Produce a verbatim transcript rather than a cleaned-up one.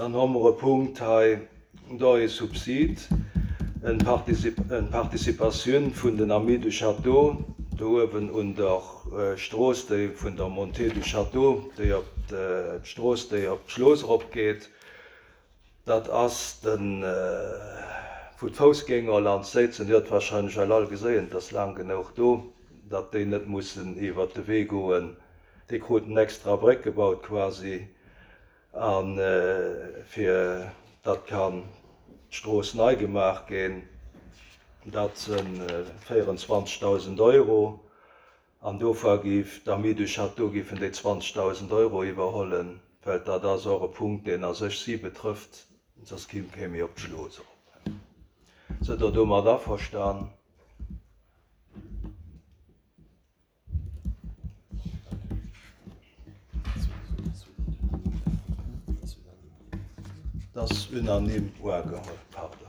Dann hu mer e Punkt hei, do ee Subsid, eng Participatioun vun den Amis du Château, do uewen un der Strooss, déi vun der Montée du Château, déi op d'Strooss, déi op d'Schlooss eropgeet. Dat ass den, wou d'Foussgänger laanscht séizen. Dir hutt warscheinlech all geséien, et ass laang genuch do, datt déi net mussen iwwert de Wee goen. Déi kruten extra Bréck gebaut quasi. A fir datt kann d'Strooss nei gemaach ginn, dat si véierundzwanzegdausend Euro. An dofir géif d'Amis du Château géifen déi zwanzegdausend Euro iwwerhollen, well dat ass och e Punkt, deen a sech si betrëfft, soss kéim kee méi op d'Schlooss erop. Sidd Der domat averstan? Dat ass unanime uageholl. Pardon.